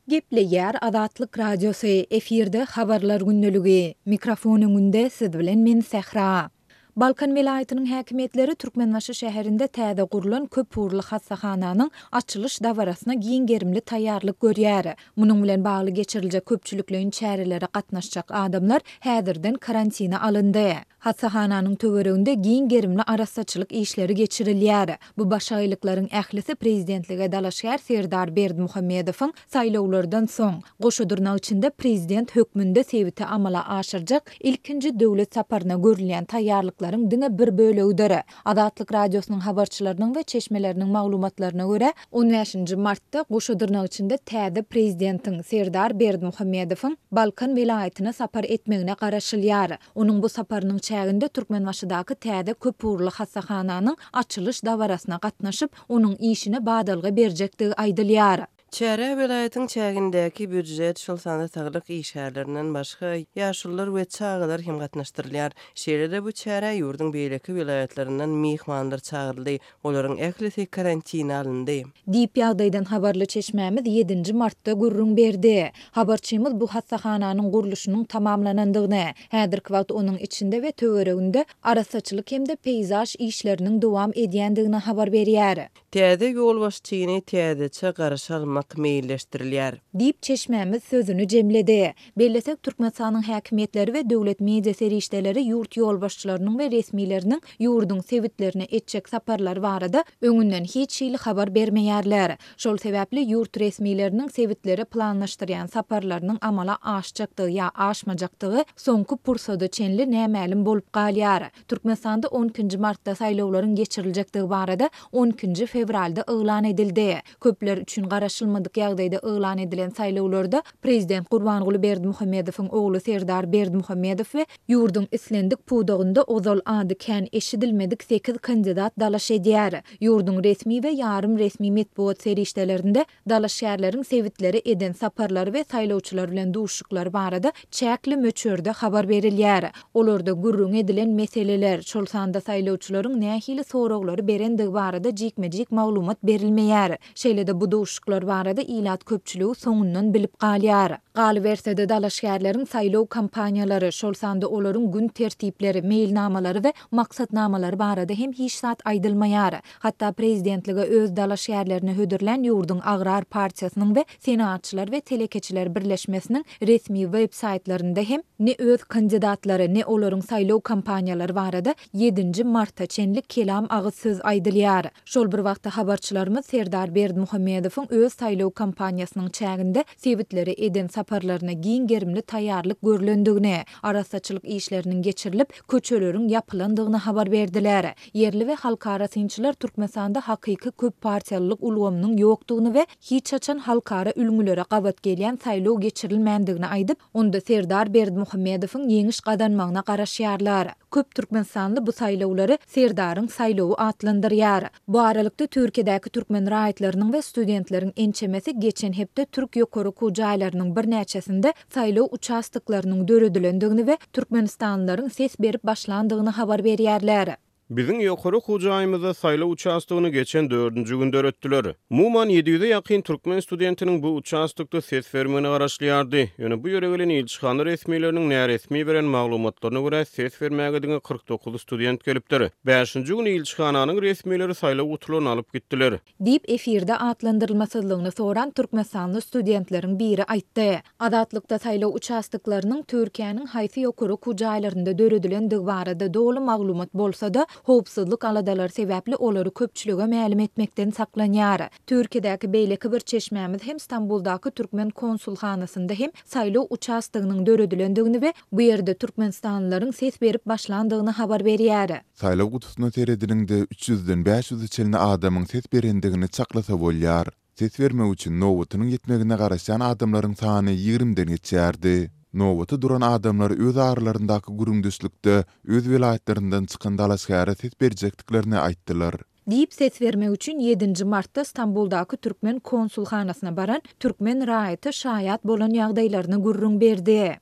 Gepleýär Azatlyk Radiosy, efirde Habarlar gündeligi. Mikrofon öňünde siz bilen men Sähra. Balkan welaýatynyň häkimiýetleri Türkmenbaşy şäherinde täze gurlan köpugurly hassahananyň açylyş dabarasyna giň gerimli taýýarlyk görýär. Munuň bilen bagly geçiriljek köpçülikleýin çärelere gatnaşjak adamlar häzirden karantine alyndy. Hassahananyň töwereginde giň gerimli arassaçylyk işleri geçirilýär. Bu başagaýlyklaryň ählisi prezidentlige dalaşgär Serdar Berdimuhamedowyň saýlawlardan soň, goşa dyrnak içinde prezident hökmünde sebite amala aşyrjak ilkinji döwlet saparyna görülýän taýýarlyklaryň diňe bir bölegidir. Azatlyk Radiosynyň habarçylarynyň we çeşmeleriniň maglumatlaryna görä, on bäşinji martda goşa dyrnak içinde täze prezidentiň, Serdar Berdimuhamedowyň Balkan welaýatyna sapar etmegine garaşylýar. Onuň bu saparynyň çäginde Türkmenbaşydaky täze köpugurly hassahananyň açylyş dabarasyna gatnaşyp, onuň işine badalga berjekdigi aýdylýar. Çärä welaýatyň çägindäki býujet, şol sanda saglyk işgärlerinden başga, ýaşulular we çagalar hem gatnaşdyrylýar. Şeýle-de bu çärä ýurduň beýleki welaýatlaryndan myhmanlar çagyryldy. Olaryň ählisi karantine alyndy. Diýip, ýagdaýdan habarly çeşmämiz ýedinji martda gürrüň berdi. Habarçymyz bu hassahananyň gurluşynyň tamamlanandygyny, häzirki wagt onuň içinde we töwereginde arassaçylyk hem-de peýzaž işleriniň dowam edýändigini habar berýär. Täze ýolbaşçyny täzeçe garşy almak meýilleşdirilýär. Diýip, çeşmämiz sözüni jemledi. Bellesek, Türkmenistanyň häkimiýetleri we döwlet media serişdeleri ýurt ýolbaşçylarynyň we resmileriniň ýurduň sebitlerine etjek saparlary barada öňünden hiç hili habar bermeýärler. Şol sebäpli ýurt resmileriniň sebitlere planlaşdyrýan saparlarynyň amala aşjakdygy ýa aşmajakdygy soňky pursada çenli nämälim bolup galýar. Türkmenistanda on ikinji martda saýlawlaryň geçiriljekdigi barada on ikinji fewralda yglan edildi. Köpler üçin garaşylmadyk ýagdaýda yglan edilen saýlawlarda prezident Gurbanguly Berdimuhamedowyň ogly Serdar Berdimuhamedow we ýurduň islendik pudagynda ozal ady kän eşidilmedik sekiz kandidat dalaş edýär. Ýurduň resmi we ýarym resmi metbugat serişdelerinde Dalaşgärleriň sebitlere eden saparlary we saýlawçylar bilen duşuşyklary barada çäkli möçberde habar berilýär. Olarda gürrüňi edilen meseleler, şol sanda saýlawçylaryň nähili soraglary berendigi barada jikme-jik maglumat berilmeýär. Şeýle-de bu duşuşyklar barada ilat köpçüligi soňundan bilip galýar. Galyberse-de, dalaşgärleriň saýlaw kampaniýalary, şol sanda olaryň gün tertipleri, meýilnamalary we maksatnamalary barada hem hiç zat aýdylmaýar. Hatda prezidentlige öz dalaşgärlerini hödürlän ýurduň Agrar partiýasynyň we Senagatçylar we telekeçiler birleşmesiniň resmi web saýtlarynda hem ne öz kandidatlary, ne olaryň saýlaw kampaniýalary barada ýedinji marta çenli kelam agyz söz aýdylýar. Şol bir wagtda habarçylarymyz Serdar Berdimuhamedowyň öz saýlaw kampaniýasynyň çäginde sebitlere eden saparlaryna giň gerimli taýýarlyk görlendigini, arassaçylyk işleriniň geçirilip, köçeleriň ýapylandygyny habar berdiler. Ýerli we halkara synçylar Türkmenistanda hakyky köppartiýalylyk ulgamynyň ýokdugyny we hiç haçan halkara ülňülere gabat gelýän saýlaw geçirilmändigini aýdyp, onda Serdar Berdimuhamedowyň ýeňiş gazanmagyna garaşýarlar. Köp türkmenistanly bu saýlawlary Serdaryň saýlawy atlandyrýar. Bu aralykda, Türkiýedäki türkmen raýatlarynyň we studentleriň ençemesi geçen hepde türk ýokary okuw jaýlarynyň birnäçesinde saýlaw uçastoklarynyň döredilendigini we türkmenistanlylaryň ses berip başlandygyny habar berýärler. Biziň ýokary okuw jaýymyzda saýlaw uçastogyny geçen dördünji gün döretdiler. Umuman, 700-e ýakyn türkmen studentiniň bu uçastokda ses bermegine garaşylýardy. Ýöne bu ýere gelen ilçihana resmileriniň näresmi beren maglumatlaryna görä, ses bermäge diňe 49 student gelipdir. Bäşinji gün ilçihananyň resmileri saýlaw gutularyny alyp gitdiler. Diýip, efirde atlandyrylmasyzlygyny soran türkmenistanly studentleriň biri aýtdy. Azatlykda saýlaw uçastoklarynyň Türkiýäniň haýsy ýokary okuw jaýlarynda döredilendigi barada doly maglumat bolsa-da, howpsuzlyk aladalary sebäpli olary köpçülige mälim etmekden saklanýar. Türkiýedäki beýleki bir çeşmämiz hem Stambuldaky türkmen konsulhanasynda hem saýlaw uçastogynyň döredilendigini we bu ýerde türkmenistanlylaryň ses berip başlandygyny habar berýär. Saýlaw gutusyna seredeniňde, üç ýüzden bäş ýüze çenli adamyň ses berendigini çaklasa bolýar. Ses bermek üçin nobatynyň ýetmegine garaşýan adamlaryň sany ýigrimden geçýärdi. Nobata duran adamlar öz aralaryndaky gürrüňdeşlikde öz welaýatlaryndan çykan dalaşgäre ses berjekdiklerini aýtdylar. Diýip, ses bermek üçin ýedinji martda Stambuldaky türkmen konsulhanasyna baran türkmen raýaty şaýat bolan ýagdaýlaryny gürrüň berdi.